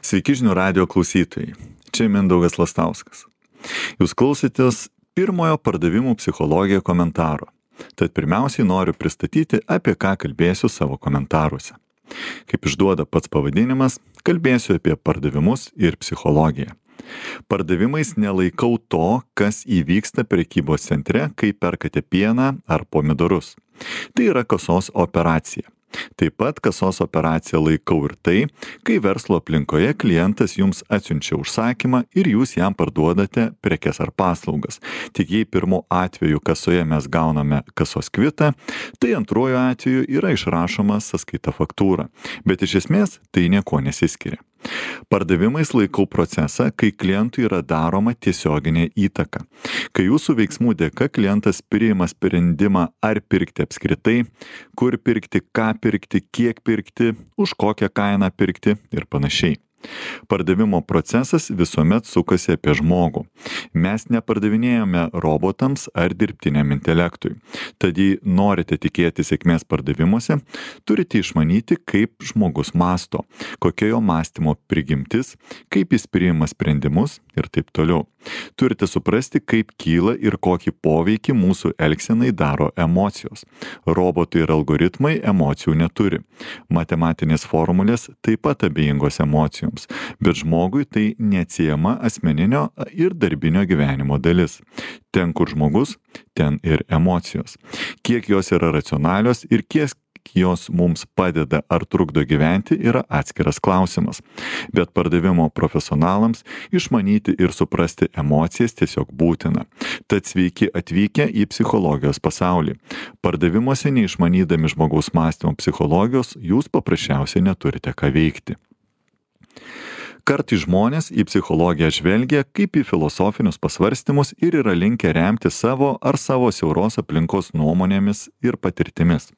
Sveiki žinių radio klausytojai. Čia Mindaugas Lastauskas. Jūs klausėtės pirmojo pardavimų psichologija komentaro. Tad pirmiausiai noriu pristatyti, apie ką kalbėsiu savo komentaruose. Kaip išduoda pats pavadinimas, kalbėsiu apie pardavimus ir psichologiją. Pardavimais nelaikau to, kas įvyksta prekybos centre, kai perkate pieną ar pomidorus. Tai yra kasos operacija. Taip pat kasos operaciją laikau ir tai, kai verslo aplinkoje klientas jums atsiunčia užsakymą ir jūs jam parduodate prekes ar paslaugas. Tik jei pirmu atveju kasoje mes gauname kasos kvitą, tai antruoju atveju yra išrašoma sąskaita faktūra. Bet iš esmės tai nieko nesiskiria. Pardavimais laikau procesą, kai klientui yra daroma tiesioginė įtaka. Kai jūsų veiksmų dėka klientas priima sprendimą ar pirkti apskritai, kur pirkti, ką pirkti, kiek pirkti, už kokią kainą pirkti ir panašiai. Pardavimo procesas visuomet sukasi apie žmogų. Mes nepardavinėjame robotams ar dirbtiniam intelektui. Tad jei norite tikėti sėkmės pardavimuose, turite išmanyti, kaip žmogus mąsto, kokia jo mąstymo prigimtis, kaip jis priima sprendimus ir taip toliau. Turite suprasti, kaip kyla ir kokį poveikį mūsų elgsenai daro emocijos. Robotai ir algoritmai emocijų neturi. Matematinės formulės taip pat abejingos emocijoms, bet žmogui tai neatsiejama asmeninio ir darbinio gyvenimo dalis. Ten, kur žmogus, ten ir emocijos. Kiek jos yra racionalios ir kiek jos mums padeda ar trukdo gyventi, yra atskiras klausimas. Bet pardavimo profesionalams išmanyti ir suprasti emocijas tiesiog būtina. Tad sveiki atvykę į psichologijos pasaulį. Pardavimuose neišmanydami žmogaus mąstymo psichologijos, jūs paprasčiausiai neturite ką veikti. Kartais žmonės į psichologiją žvelgia kaip į filosofinius pasvarstymus ir yra linkę remti savo ar savo siauros aplinkos nuomonėmis ir patirtimis.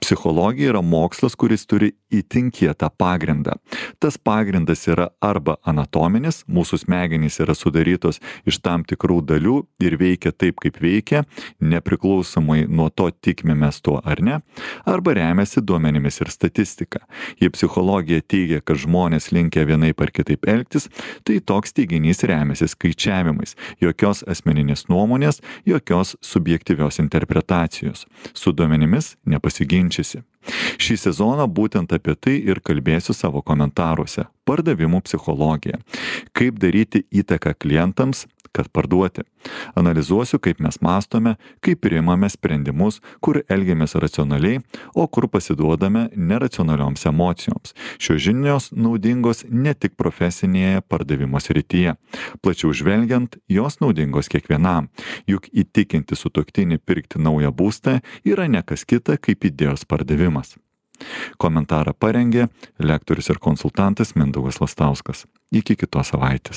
Psichologija yra mokslas, kuris turi itin kietą pagrindą. Tas pagrindas yra arba anatominis, mūsų smegenys yra sudarytos iš tam tikrų dalių ir veikia taip, kaip veikia, nepriklausomai nuo to tikime mes tuo ar ne, arba remiasi duomenimis ir statistika. Jei psichologija teigia, kad žmonės linkę vienaip ar kitaip elgtis, tai toks teiginys remiasi skaičiavimais, jokios asmeninės nuomonės, jokios subjektyvios interpretacijos. Su duomenimis nepasiginčysi. Šį sezoną būtent apie tai ir kalbėsiu savo komentaruose. Pardavimų psichologija. Kaip daryti įtaką klientams, kad parduoti. Analizuosiu, kaip mes mąstome, kaip priimame sprendimus, kur elgiamės racionaliai, o kur pasiduodame neracionalioms emocijoms. Šios žinios naudingos ne tik profesinėje pardavimo srityje. Plačiau žvelgiant, jos naudingos kiekvienam. Juk įtikinti sutuoktinį pirkti naują būstą yra ne kas kita kaip idėjos pardavimas. Komentarą parengė lektorius ir konsultantas Mindaugas Lastauskas. Iki kitos savaitės.